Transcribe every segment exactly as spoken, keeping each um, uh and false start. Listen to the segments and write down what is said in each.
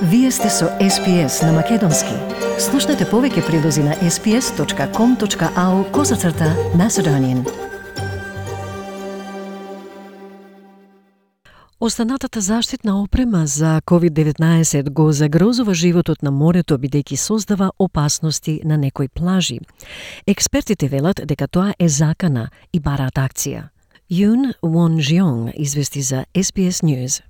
Вие сте со Ес Пи Ес на Македонски. Слушнете повеќе прилози на ес пи ес точка ком точка ау козацрта Macedonian. Останатата заштитна опрема за ковид деветнаесет го загрозува животот на морето бидејќи создава опасности на некои плажи. Експертите велат дека тоа е закана и бараат акција. Юн Вонжионг извести за Ес Пи Ес News.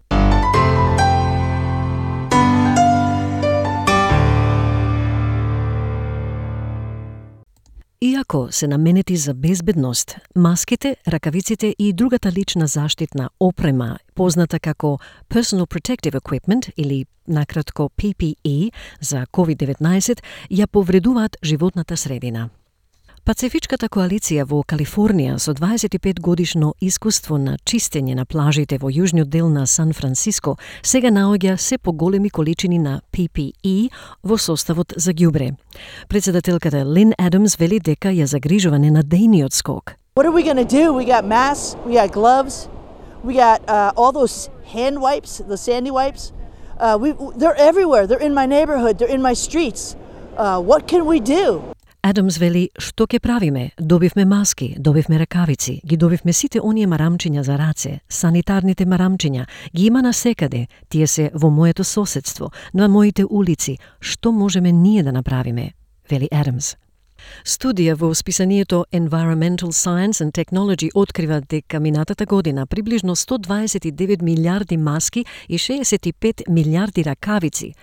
Иако се наменети за безбедност, маските, ракавиците и другата лична заштитна опрема, позната како Personal Protective Equipment или накратко Пи Пи И за ковид деветнаесет, ја повредуваат животната средина. Пацифичката коалиција во Калифорнија со дваесет и пет годишно искуство на чистење на плажите во јужниот дел на Сан Франциско сега наоѓа се поголеми количини на Пи Пи И во составот за ѓубре. Председателката Лин Адамс вели дека ја загрижува ненадејниот скок. What are we going to do? We got masks, we got gloves, we got uh, all those hand wipes, the sandy wipes. Uh, we, they're everywhere. They're in my neighborhood. They're in my streets. Uh, what can we do? Адамс вели, што ќе правиме? Добивме маски, добивме ракавици, ги добивме сите оние марамчиња за раце, санитарните марамчиња, ги има насекаде, тие се во моето соседство, на моите улици. Што можеме ние да направиме? Вели Адамс. Студија во списанието Environmental Science and Technology открива дека минатата година приближно сто дваесет и девет милиарди маски и шеесет и пет милиарди ракавици,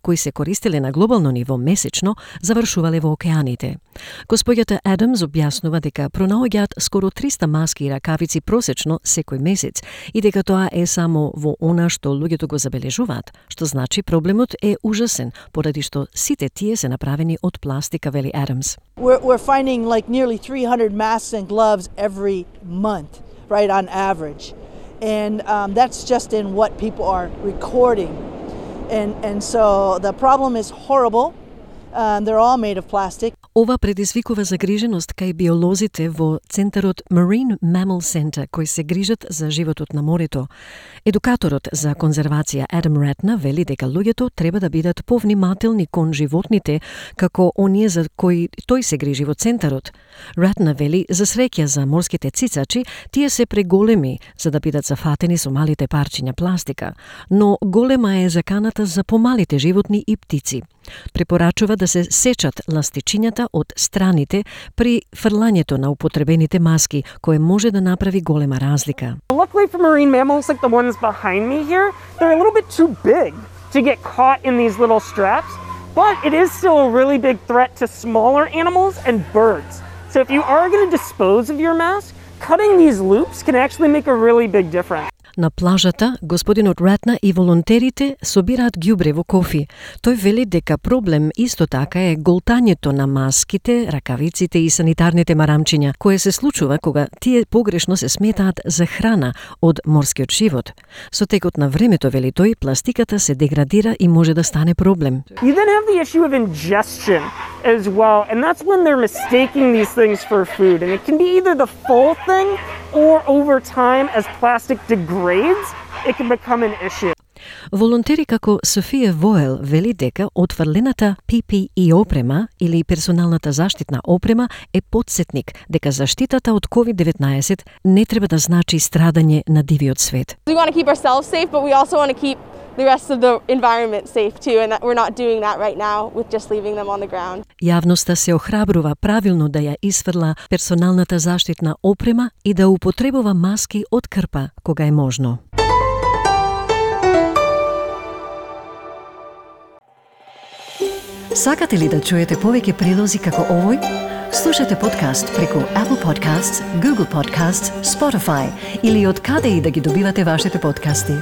кои се користеле на глобално ниво месечно, завршувале во океаните. Господјата Адамс објаснува дека пронаоѓаат скоро триста маски и ракавици просечно секој месец и дека тоа е само во она што луѓето го забележуваат, што значи проблемот е ужасен, поради што сите тие се направени од пластика, вели Адамс. We're, we're finding like nearly three hundred masks and gloves every month, right, on average. And um, that's just in what people are recording. And, and so the problem is horrible. Um, they're all made of plastic. Ова предизвикува загриженост кај биолозите во Центарот Marine Mammal Center, кои се грижат за животот на морето. Едукаторот за конзервација Адам Ратна вели дека луѓето треба да бидат повнимателни кон животните, како оние за кои тој се грижи во Центарот. Ратна вели, за среќа за морските цицачи, тие се преголеми за да бидат зафатени со малите парчиња пластика, но голема е заканата за помалите животни и птици. Препорачува да се сечат ластичињата од страните при фрлањето на употребените маски, кое може да направи голема разлика. Luckily for marine mammals like the ones behind me here, they're a little bit too big to get caught in these little straps, but it is still a really big threat to smaller animals and birds. So if you are going to dispose of your mask, cutting these loops can actually make a really big difference. На плажата, господинот Ратна и волонтерите собираат ѓубре во кофи. Тој вели дека проблем исто така е голтањето на маските, ракавиците и санитарните марамчиња, кое се случува кога тие погрешно се сметаат за храна од морскиот живот. Со текот на времето, вели тој, пластиката се деградира и може да стане проблем. You then have the issue of ingestion as well, and that's when they're mistaking these things for food, and it can be either the full thing or over time as plastic degrades, it can become an issue. Волонтери како Софија Воел вели дека отфрлената Пи Пи И опрема или персоналната заштитна опрема е потсетник дека заштитата од ковид деветнаесет не треба да значи страдање на дивиот свет. We want to keep ourselves safe, but we also want to keep the rest of the environment safe too, and that we're not doing that right now with just leaving them on the ground. Јавноста се охрабрува правилно да ја исфрла персоналната заштитна опрема и да употребува маски од крпа кога е можно. Сакате ли да чуете повеќе прилози како овој? Слушате подкаст преку Apple Podcasts, Google Podcasts, Spotify или од каде и да ги добивате вашите подкасти.